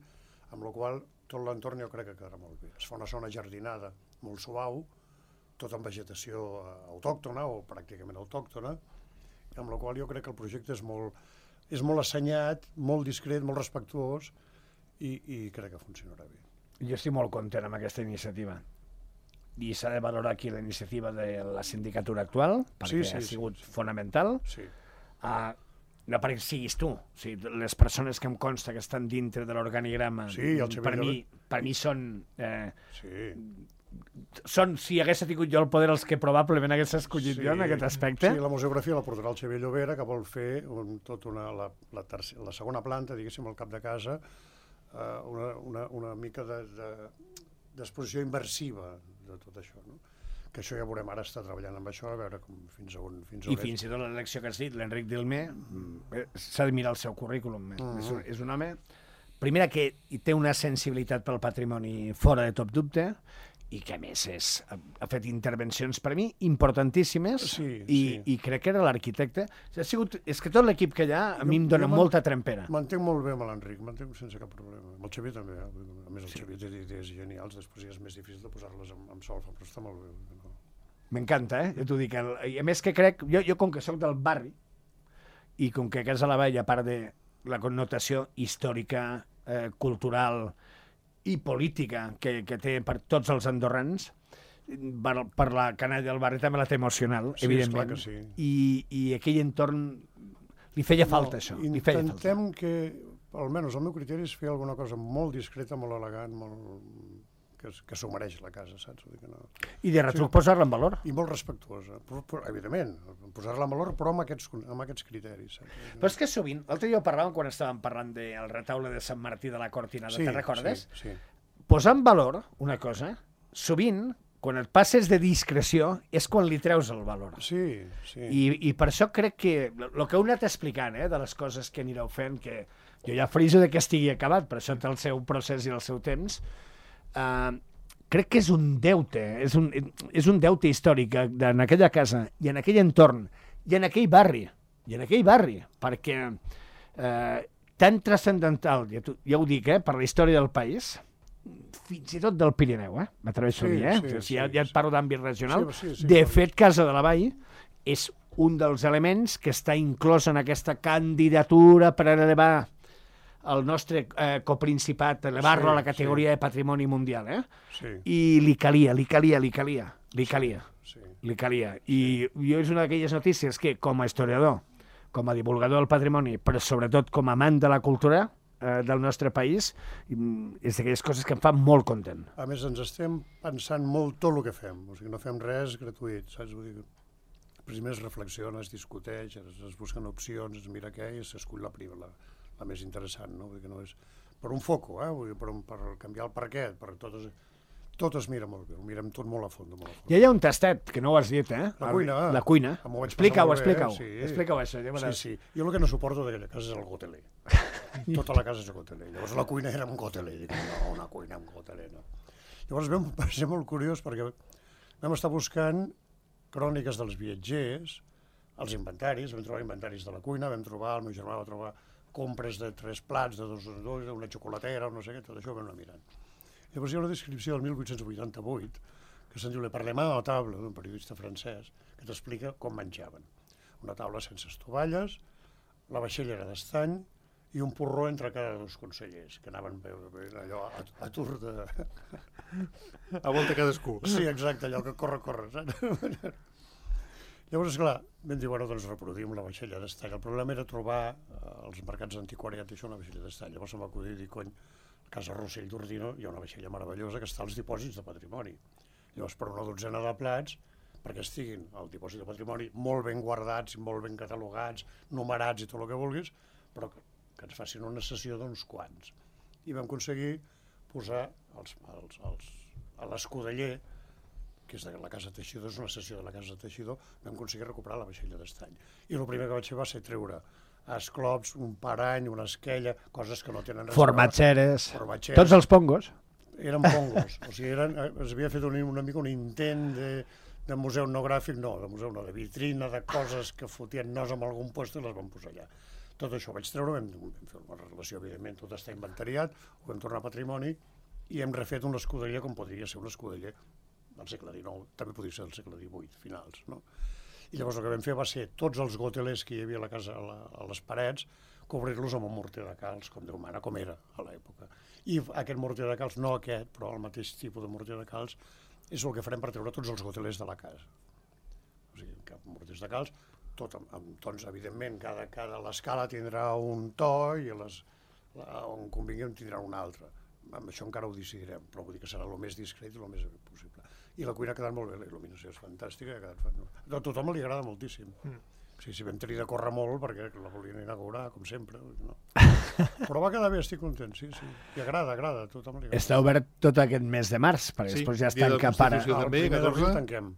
amb la qual tot l'entorn jo crec que quedarà molt bé. Es fa una zona jardinada molt suau, tot amb vegetació autòctona o pràcticament autòctona, amb la qual jo crec que el projecte és molt assenyat, molt discret, molt respectuós i crec que funcionarà bé. Jo estic molt content amb aquesta iniciativa. I s'ha de valorar aquí la iniciativa de la sindicatura actual, perquè ha sigut fonamental. Sí. No perquè siguis tu, o sigui, les persones que em consta que estan dintre de l'organigrama, per mi són... Són, si hagués tingut jo el poder, els que probablement hagués escollit jo en aquest aspecte. Sí, la museografia la portarà el Xavier Llobera, que vol fer la segona planta, diguéssim, al cap de casa, una mica d'exposició immersiva de tot això, no? Que això ja veurem, ara està treballant amb això, a veure fins a on... I fins i tot l'elecció que has dit, l'Enric Gilmer, s'ha de mirar el seu currículum. És un home, primera, que té una sensibilitat pel patrimoni fora de tot dubte, i que a més ha fet intervencions per mi importantíssimes i crec que era l'arquitecte. És que tot l'equip que hi ha a mi em dona molta trempera. M'entenc molt bé amb l'Enric, m'entenc sense cap problema. Amb el Xavier també, a més el Xavier té idees genials, després ja és més difícil de posar-les amb solfa, però està molt bé. M'encanta, jo t'ho dic. I a més que crec, jo com que soc del barri i com que Casa de la Vall, a part de la connotació històrica, cultural i política que té per tots els andorrans, per la canalla del barri també la té emocional, evidentment. Sí. I aquell entorn li feia falta això. Intentem que, almenys el meu criteri és fer alguna cosa molt discreta, molt elegant, que s'ho mereix la casa, saps? I de retruc posar-la en valor. I molt respectuosa, evidentment, posar-la en valor, però amb aquests criteris. Però és que sovint, l'altre dia ho parlàvem quan estàvem parlant del retaule de Sant Martí de la Cortinada, te'n recordes? Sí. Posar en valor una cosa, sovint, quan et passes de discreció, és quan li treus el valor. Sí. I per això crec que el que heu anat explicant, de les coses que anireu fent, que jo ja friso de que estigui acabat, però això té el seu procés i el seu temps, crec que és un deute, és un deute històric en aquella casa i en aquell entorn i en aquell barri, perquè tan transcendental, ja ho dic, per la història del país, fins i tot del Pirineu, m'atreveixo a dir, ja et parlo d'àmbit regional. De fet, Casa de la Vall és un dels elements que està inclòs en aquesta candidatura per elevar el nostre coprincipat, elevar-lo a la categoria de patrimoni mundial, i li calia. I jo és una d'aquelles notícies que, com a historiador, com a divulgador del patrimoni, però sobretot com a amant de la cultura del nostre país, és d'aquelles coses que em fan molt content. A més, ens estem pensant molt tot el que fem, o sigui, no fem res gratuït, saps? Vull dir, primer es reflexiona, es discuteix, es busquen opcions, es mira què i s'escull la més interessant, no? Vull dir que no és per un foco, vull dir, per canviar el parquet, per tot es mira molt bé, ho mirem tot molt a fons. Ja hi ha un tastet, que no ho has dit, La cuina. La cuina. Explica-ho. Explica-ho, això. Sí. Jo el que no suporto d'aquella casa és el goteler. Tota la casa és goteler. Llavors la cuina era un goteler. Dic, no, una cuina amb goteler, no. Llavors va ser molt curiós perquè vam estar buscant cròniques dels viatgers, els inventaris, vam trobar inventaris de la cuina, el meu germà va trobar compres de 3 plats, de 2 en 2, una xocolatera, no sé què, tot això ho vam anar mirant. Llavors hi ha una descripció del 1888 que se'n diu Le Parlement a la taula, d'un periodista francès, que t'explica com menjaven. Una taula sense estovalles, la vaixella era d'estany i un porró entre cada 2 consellers, que anaven allò a tur de... A volta cadascú. Sí, exacte, allò que corre, saps? Llavors, esclar, vam dir, bueno, doncs reproduïm la vaixella d'estany. El problema era trobar als mercats antiquariats això, una vaixella d'estany. Llavors em va acudir dir, cony, a Casa Rossell d'Ordino hi ha una vaixella meravellosa que està als dipòsits de patrimoni. Llavors, per una dotzena de plats, perquè estiguin al dipòsit de patrimoni molt ben guardats, molt ben catalogats, numerats i tot el que vulguis, però que ens facin una sessió d'uns quants. I vam aconseguir posar a l'escudeller, que és de la Casa Teixidor, és una sessió de la Casa Teixidor, vam aconseguir recuperar la vaixella d'estany. I el primer que vaig fer va ser treure esclops, un parany, una esquella, coses que no tenen res. Formatgeres, tots els pongos. Eren pongos, o sigui, es havia fet una mica un intent de museu etnogràfic, de vitrina, de coses que fotien nos en algun lloc i les vam posar allà. Tot això ho vaig treure, vam fer una relació, evidentment, tot està inventariat, ho vam tornar a patrimoni i hem refet un escudeller com podria ser un escudeller del segle XIX, també podria ser del segle XVIII, finals, no? I llavors el que vam fer va ser tots els gotelers que hi havia a la casa, a les parets, cobrir-los amb un morter de calç, com Déu mana, com era a l'època. I aquest morter de calç, no aquest, però el mateix tipus de morter de calç, és el que farem per treure tots els gotelers de la casa. O sigui, cap morters de calç, tot amb tons, evidentment, cada l'escala tindrà un to i on convingui en tindrà un altre. Amb això encara ho decidirem, però vull dir que serà el més discret i el més possible. I la cuina ha quedat molt bé, la il·luminació és fantàstica, a tothom li agrada moltíssim. Sí, vam tenir de córrer molt perquè la volien inaugurar, com sempre. No. Però va quedar bé, estic content, sí. I agrada, a tothom li agrada. Està obert tot aquest mes de març, perquè després ja es tanca para. El primer d'abril tanquem.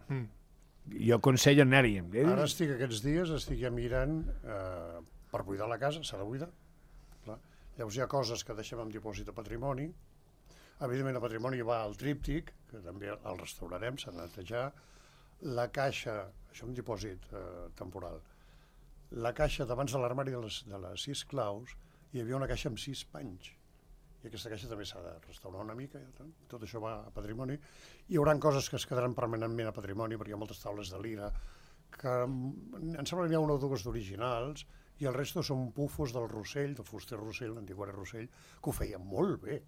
Jo aconsello anar-hi. Ara aquests dies estic ja mirant per buidar la casa, s'ha de buidar. Llavors hi ha coses que deixem en dipòsit de patrimoni. Evidentment, a patrimoni va el tríptic, que també el restaurarem, s'ha de netejar. La caixa, això és un dipòsit temporal, la caixa d'abans de l'armari de les 6 claus, hi havia una caixa amb 6 panys. I aquesta caixa també s'ha de restaurar una mica. Tot això va a patrimoni. Hi haurà coses que es quedaran permanentment a patrimoni, perquè hi ha moltes taules de lira, que em sembla que n'hi ha una o dues d'originals, i el resto són pufos del Rossell, del fuster Rossell, l'antiquari Rossell, que ho feien molt bé.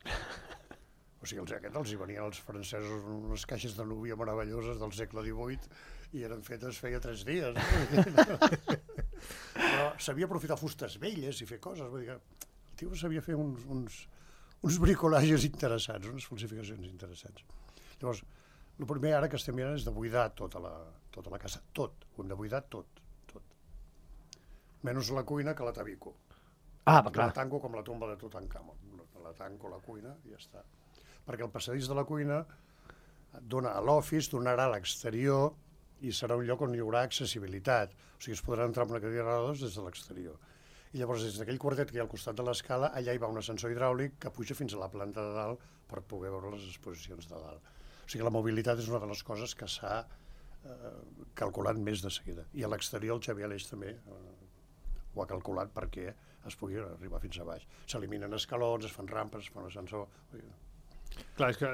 O sigui, els hi venien els francesos unes caixes de núvia meravelloses del segle XVIII i eren fetes feia 3 dies. Però sabia aprofitar fustes velles i fer coses. Vull dir que el tio sabia fer uns bricolages interessants, unes falsificacions interessants. Llavors, el primer ara que estem mirant és de buidar tota la casa. Tot. Ho hem de buidar tot. Menys la cuina, que la tabico. Clar. La tanco com la tomba de Tutankamon. La tanco la cuina i ja està. Perquè el passadís de la cuina dona a l'office, donarà a l'exterior i serà un lloc on hi haurà accessibilitat. O sigui, es podrà entrar amb una cadira de rodes des de l'exterior. I llavors, des d'aquell quartet que hi ha al costat de l'escala, allà hi va un ascensor hidràulic que puja fins a la planta de dalt per poder veure les exposicions de dalt. O sigui, la mobilitat és una de les coses que s'ha calculat més de seguida. I a l'exterior el Xavier Aleix també ho ha calculat perquè es pugui arribar fins a baix. S'eliminen escalons, es fan rampes, es fan ascensor. Clar, és que,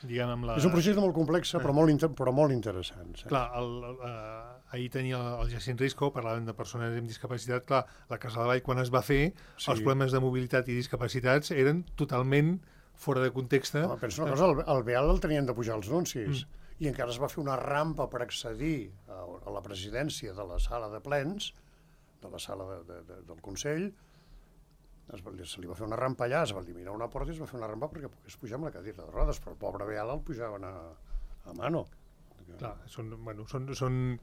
diguem, amb la... És un projecte molt complex, però molt interessant. Clar, ahir tenia el Jacint Risco, parlàvem de persones amb discapacitat, clar, la Casa de Vall, quan es va fer, sí, els problemes de mobilitat i discapacitats eren totalment fora de context. Penso una cosa, el Beal el tenien de pujar els anuncis, i encara es va fer una rampa per accedir a la presidència de la sala de plens, la sala del Consell, se li va fer una rampa allà, es va eliminar una porta i es va fer una rampa perquè pogués pujar amb la cadira de rodes, però el pobre Beala el pujaven a mano. Clar, són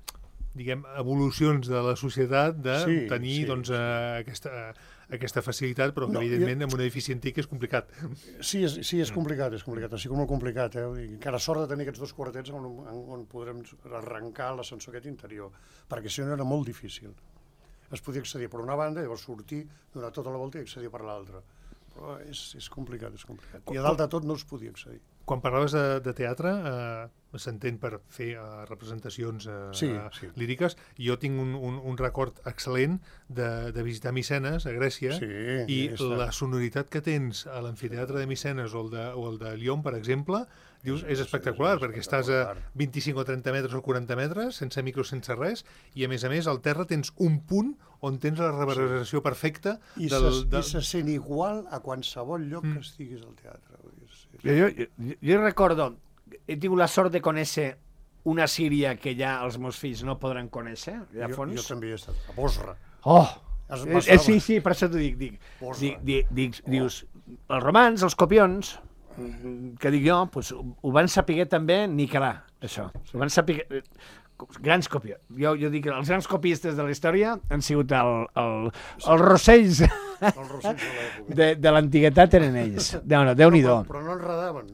diguem, evolucions de la societat de tenir doncs, aquesta facilitat, però que, evidentment, en un edifici antic és complicat. Sí, és complicat, així com molt complicat. I encara sort de tenir aquests dos quartets on podrem arrencar l'ascensor aquest interior, perquè si no era molt difícil. Es podia accedir per una banda, llavors sortir, donar tota la volta i accedir per l'altra. Però és complicat. I a dalt de tot no es podia accedir. Quan parlaves de teatre, s'entén per fer representacions líriques. Jo tinc un record excel·lent de visitar Micenes, a Grècia, i la sonoritat que tens a l'amfiteatre de Micenes o el de Lyon, per exemple, dius, és espectacular, perquè estàs a 25 o 30 metres o 40 metres, sense micro, sense res, i a més, al terra tens un punt on tens la reverberació perfecta. I se sent igual a qualsevol lloc que estiguis al teatre. Jo recordo, he tingut la sort de conèixer una Síria que ja els meus fills no podran conèixer, allà a fons. Jo també he estat, a Bosra. Sí, per això t'ho dic. Dius, els romans, els copions, que dic jo, ho van saber també niquelar, això. Ho van saber... Grans copions. Jo dic que els grans copistes de la història han sigut els rossells de l'antiguitat eren ells. Déu-n'hi-do. Però no enredaven.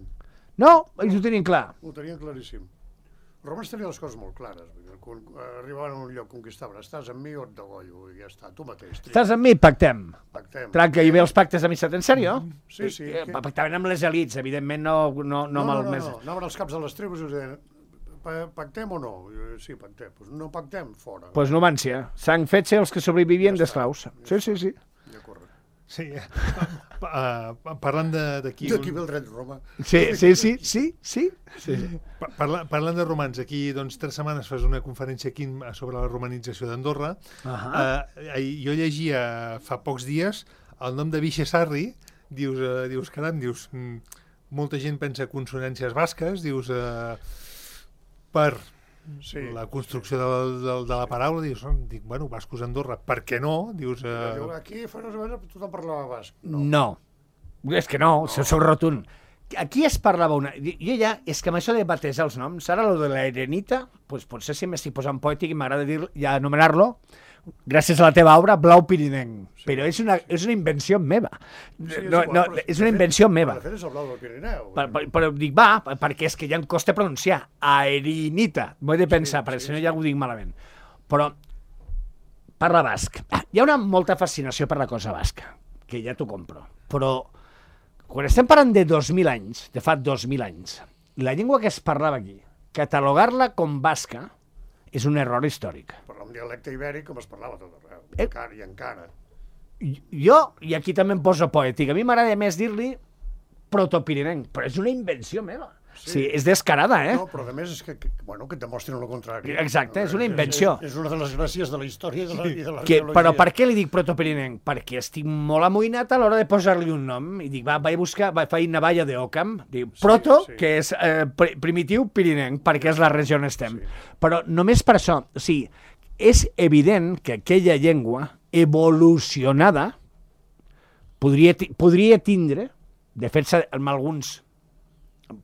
No, ells ho tenien clar. Ho tenien claríssim. Els romans tenien les coses molt clares. Quan arribaven a un lloc, conquistaven. Estàs amb mi o et degollo? I ja està, tu mateix. Estàs amb mi? Pactem. Tranca, hi ve els pactes d'amistat, en sèrio? Sí. Pactaven amb les elites, evidentment no amb el més... No, anaven als caps de les tribus i us deien pactem o no? Sí, pactem. No pactem, fora. Doncs Numància. S'han fet ser els que sobrevivien d'esclaus. Sí. Ja corre. Sí. Parlant d'aquí... D'aquí ve el dret Roma. Sí. Parlant de romans, aquí 3 setmanes fas una conferència aquí sobre la romanització d'Andorra. Jo llegia fa pocs dies el nom de Vixe Sarri, dius, caram, molta gent pensa consonàncies basques, dius... per la construcció de la paraula, dius, bueno, bascos Andorra, per què no? Dius... Aquí fa unes setmanes tothom parlava basc. No, és que no, sou rotund. Aquí es parlava una... Jo ja, és que amb això de batejar els noms, ara lo de la Erenita, potser si m'estic posant poètic i m'agrada ja anomenar-lo, gràcies a la teva obra, Blau Pirinenc. Però és una invenció meva. És una invenció meva. De fet és el blau del Pirineu. Però dic, perquè és que ja em costa pronunciar. Aerinita. M'ho he de pensar, perquè si no ja ho dic malament. Però parla basc. Hi ha molta fascinació per la cosa basca, que ja t'ho compro. Però quan estem parlant de 2.000 anys, de fa 2.000 anys, la llengua que es parlava aquí, catalogar-la com basca és un error històric. Parlar un dialecte ibèric com es parlava tot arreu, encara. Jo, i aquí també em poso poètic, a mi m'agrada més dir-li protopirinenc, però és una invenció meva. Sí, és descarada, No, però a més és que et demostren el contrari. Exacte, és una invenció. És una de les gràcies de la història i de l'arqueologia. Però per què li dic protopirinenc? Perquè estic molt amoïnat a l'hora de posar-li un nom. I dic, vaig buscar, faig Navalla d'Occam, dic, proto, que és primitiu pirinenc, perquè és la regió on estem. Però només per això, o sigui, és evident que aquella llengua evolucionada podria tindre, de fet, amb alguns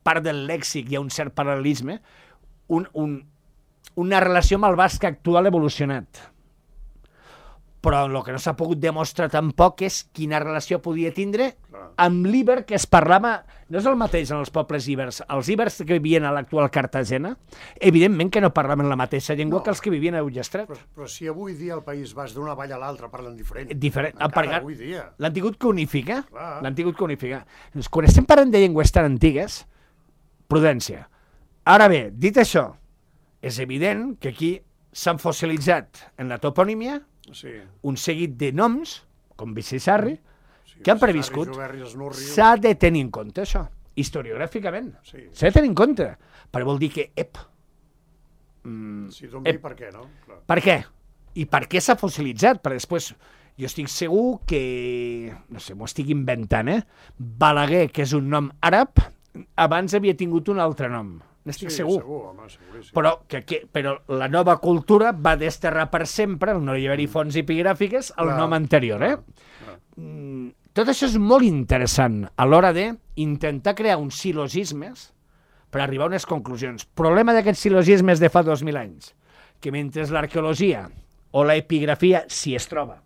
part del lèxic hi ha un cert paral·lelisme, una relació amb el basc actual evolucionat. Però el que no s'ha pogut demostrar tampoc és quina relació podia tindre amb l'íber que es parlava... No és el mateix en els pobles íbers. Els íbers que vivien a l'actual Cartagena, evidentment que no parlaven la mateixa llengua que els que vivien a Ullastret. Però si avui dia al País Basc d'una vall a l'altra parlen diferent. Encara avui dia. L'han tingut que unificar. Quan estem parlant de llengües tan antigues, prudència. Ara bé, dit això, és evident que aquí s'han fossilitzat en la toponímia un seguit de noms, com Vixe Sarri, que han previscut. S'ha de tenir en compte això, historiogràficament. S'ha de tenir en compte. Però vol dir que, si d'on ve i per què, no? Per què? I per què s'ha fossilitzat? Perquè després, jo estic segur que, no sé, m'ho estic inventant, Balaguer, que és un nom àrab, abans havia tingut un altre nom. n'estic Sí, segur. segur, home, seguríssim. Però la nova cultura va desterrar per sempre, no hi haver-hi fonts epigràfiques, el Clar, nom anterior, eh? clar. Tot això és molt interessant a l'hora d'intentar crear uns silogismes per arribar a unes conclusions. Problema d'aquests silogismes de fa 2.000 anys, que mentre l'arqueologia o la epigrafia, si es troba,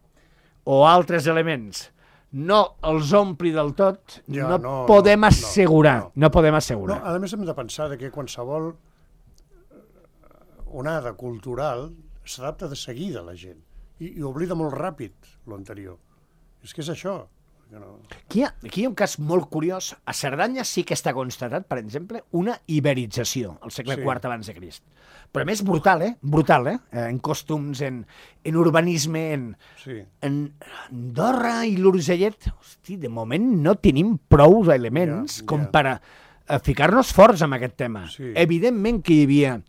o altres elements, no els ompli del tot, Ja, no podem assegurar. No podem No, assegurar. a més hem de pensar que qualsevol onada cultural s'adapta de seguida a la gent i oblida molt ràpid l'anterior. És que és això. Que no... Aquí hi ha un cas molt curiós. A Cerdanya sí que està constatat, per exemple, una iberització al segle Sí. IV abans de Crist. Però a més brutal, Brutal, en costums, en urbanisme, Sí. en Andorra i l'Urgellet. Hosti, de moment no tenim prou elements Ja. com per a ficar-nos forts amb aquest tema. Sí. Evidentment que hi havia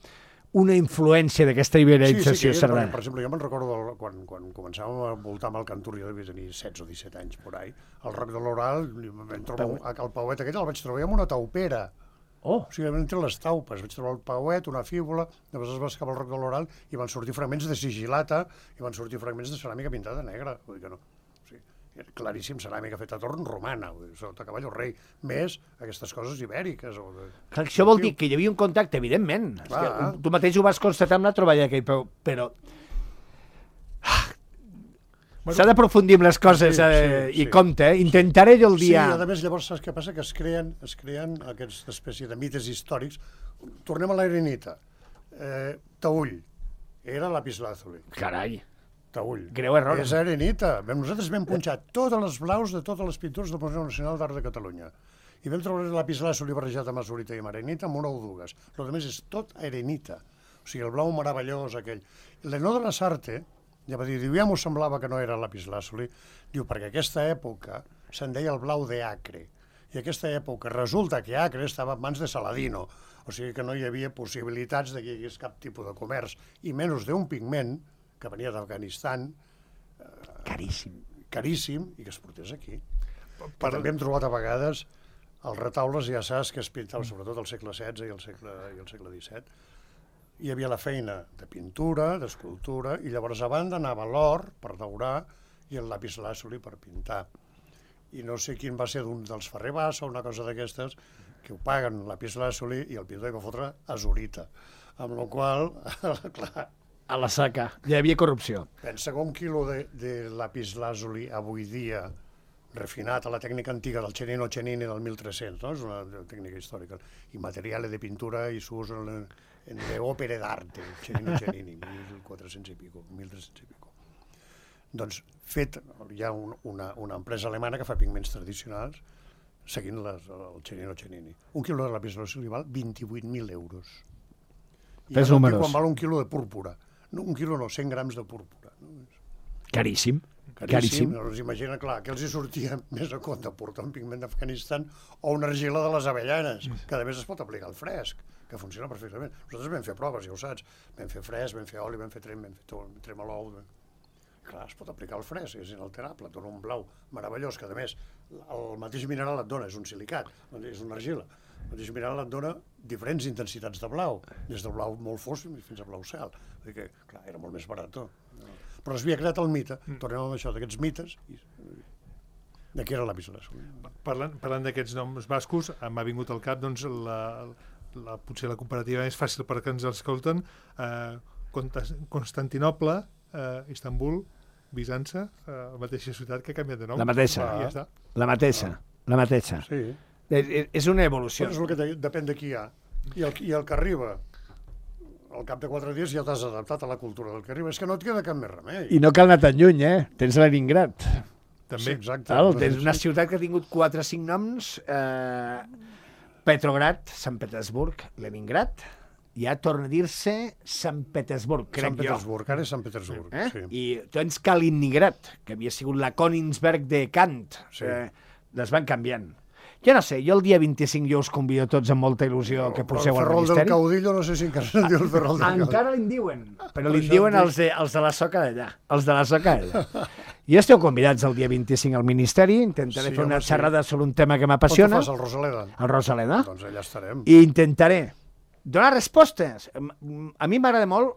una influència d'aquesta iberització que era, cerdana. per exemple, jo me'n recordo quan començàvem a voltar amb el cantur, jo devia tenir 16 o 17 anys por ahí, al Roc de l'Oral, vam trobar el pauet aquest, el vaig trobar amb una taupera. Oh, O sigui, entre les taupes, vaig trobar el pauet, una fíbula, després es va escapar al Roc de l'Oral i van sortir fragments de sigilata i van sortir fragments de ceràmica pintada negra. Vull dir que no. O sigui, era claríssim, ceràmica feta a torn romana, vull dir, sota Caballo Rei, més aquestes coses ibèriques. O de... clar, això vol dir que hi havia un contacte, evidentment. És Clar. que tu mateix ho vas constatar amb la troballa aquell, però... S'ha d'aprofundir en les coses Sí, i sí. compte, Intentaré jo el Sí, dia... a més, llavors, saps què passa? Que es creen aquesta espècie de mites històrics. Tornem a l'Arenita. Taüll. Era lapislázuli. Carai, Taüll. greu error. És arenita. Nosaltres vam punxar totes les blaus de totes les pintures del Museu Nacional d'Art de Catalunya. I vam trobar el lapislázuli barrejat amb azurita i amb arenita amb una o dues. El que més és tot arenita. O sigui, el blau meravellós aquell. L'Enó de la Sarte, ja va dir, ja m'ho semblava que no era lapislázuli, diu, perquè aquesta època se'n deia el blau de Acre. I aquesta època resulta que Acre estava en mans de Saladino. O sigui que no hi havia possibilitats de que hi hagués cap tipus de comerç. I menys d'un pigment que venia d'Afganistan, caríssim, i que es portés aquí. Però també hem trobat a vegades els retaules, ja saps, que es pintaven sobretot al segle XVI i al segle XVII. Hi havia la feina de pintura, d'escultura, i llavors a banda anava l'or per daurar i el lapislázuli per pintar. I no sé quin va ser d'un dels Ferrer Bassa o una cosa d'aquestes, que ho paguen lapislázuli i el pintor hi va fotre azurita. Amb la qual cosa, clar, A la saca. Hi havia corrupció. pensa que un quilo de lapislázuli avui dia refinat a la tècnica antiga del Cennino Cennini del 1300, no? És una tècnica històrica. I materiale de pintura i s'ús en le opere d'arte, Cennino Cennini, 1400 i pico, 1300 i pico. Doncs hi ha una empresa alemana que fa pigments tradicionals seguint el Cennino Cennini. Un quilo de lapislázuli val 28.000 euros. I Fes ara números. quan val un quilo de púrpura. No, un quilo no, 100 grams de púrpura. No? Caríssim. Caríssim. Llavors, imagina, clar, que els hi sortia més a compte portar un pigment d'Afganistan o una argila de les avellanes, que a més es pot aplicar al fresc, que funciona perfectament. Nosaltres vam fer proves, ja ho saps. Vam fer fresc, vam fer oli, vam fer tremolou. Clar, es pot aplicar al fresc, és inalterable, et dona un blau meravellós, que a més el mateix mineral et dona, és un silicat, és una argila. El mateix mineral et dona diferents intensitats de blau, des del blau molt fosc fins a blau cel. Vull dir que, clar, era molt més barat. Però es havia creat el mite, tornem amb això, d'aquests mites, de què era la lapislázuli. Parlant d'aquests noms bascos, m'ha vingut al cap doncs, potser la comparativa més fàcil perquè ens escolten, Constantinoble, Istanbul, Bizança, la mateixa ciutat que ha canviat de nom. La mateixa. I ja està. La mateixa. Sí, És una evolució. però és el que depèn de qui hi ha. I el que arriba, al cap de 4 dies ja t'has adaptat a la cultura del que arriba. És que no et queda cap més remei. I no cal anar tan lluny, Tens Leningrad. També. Sí, exacte. Tens una ciutat que ha tingut 4 o 5 noms, Petrograd, Sant Petersburg, Leningrad, ja torna a dir-se Sant Petersburg, crec Sant Petersburg, ara és Sant Petersburg. Sí. I tens Kaliningrad, que havia sigut la Königsberg de Kant. Sí. Les van canviant. Jo no sé, jo el dia 25 jo us convido tots amb molta il·lusió que Però poseu el al ferrol del Ministeri. caudillo, no sé si encara se'n diu el ferrol del caudillo. Encara li'n diuen, però Per li'n això diuen et dic. els de la soca d'allà. Els de la soca d'allà. I esteu convidats el dia 25 al Ministeri, intentaré Sí, fer una home, sí. xerrada sobre un tema que On te m'apassiona, fas, al Rosaleda? el Rosaleda, Doncs allà estarem. i intentaré Donar respostes. A mi m'agrada molt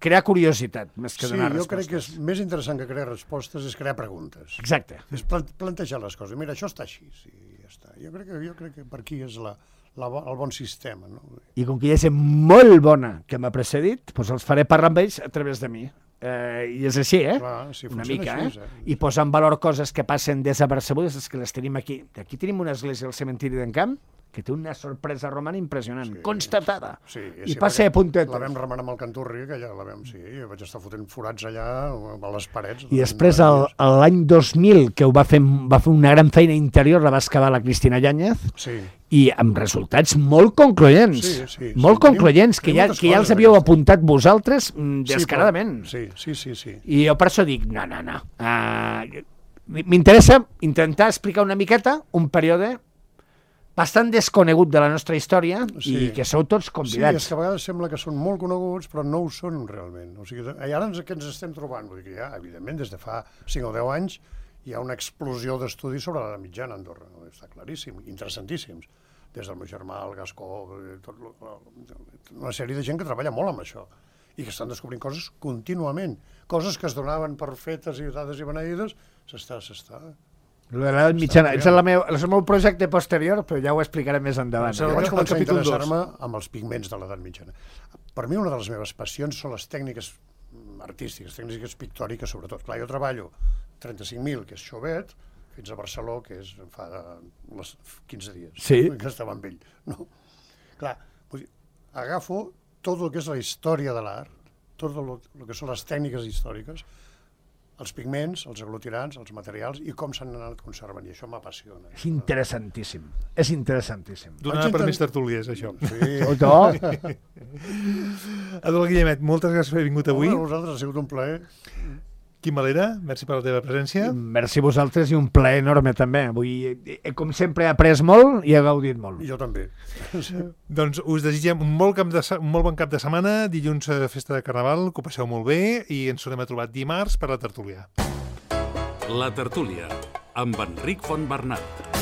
crear curiositat, més que donar respostes. Jo crec que és més interessant que crear respostes és crear preguntes. Exacte. És plantejar les coses. Mira, això està així, sí, ja està. Jo crec que per aquí és el bon sistema. No? I com que hi ha gent molt bona que m'ha precedit, doncs els faré parlar amb ells a través de mi. I és així, Clar, sí, una mica, així, I posar en valor coses que passen desapercebudes, és que les tenim aquí. Aquí tenim una església al cementiri d'Encamp que té una sorpresa romana impressionant, constatada. Sí, I passa a puntet. La vam remenar amb el Canturri, que ja la vam, jo vaig estar fotent forats allà a les parets. I després, l'any 2000, que va fer una gran feina interior, la va excavar la Cristina Yáñez, i amb resultats molt concloents. Molt concloents, que ja els havíeu apuntat vosaltres descaradament. Sí. I jo per això dic, no. M'interessa intentar explicar una miqueta un període bastant desconegut de la nostra història i que sou tots convidats. Sí, és que a vegades sembla que són molt coneguts, però no ho són realment. O sigui, i ara què ens estem trobant? Vull dir que ja, evidentment, des de fa 5 o 10 anys hi ha una explosió d'estudis sobre l'edat mitjana a Andorra. Està claríssim, interessantíssims. Des del meu germà, el Gascó, una sèrie de gent que treballa molt amb això i que estan descobrint coses contínuament. Coses que es donaven per fetes i dades i beneïdes, s'està... L'edat mitjana, és el meu projecte posterior, però ja ho explicaré més endavant. Vaig començar a interessar-me amb els pigments de l'edat mitjana. Per mi una de les meves passions són les tècniques artístiques, tècniques pictòriques sobretot. Clar, jo treballo 35.000, que és Chauvet, fins a Barcelona, que és fa 15 dies, que estava amb ell. No? Clar, agafo tot el que és la història de l'art, tot el que són les tècniques històriques, els pigments, els aglutinants, els materials i com s'han anat conservant, i això m'apassiona. És interessantíssim, és interessantíssim. Donar per més tertúlies, això. Sí. Eduard Guillemet, moltes gràcies per haver vingut avui. A vosaltres, ha sigut un plaer. Quim Valera, merci per la teva presència. Merci a vosaltres i un plaer enorme també. Avui, com sempre, he après molt i he gaudit molt. I jo també. Doncs us desitgem un molt bon cap de setmana, dilluns festa de Carnaval, que ho passeu molt bé i ens tornem a trobar dimarts per la tertúlia. La tertúlia, amb Enric Fontbernat.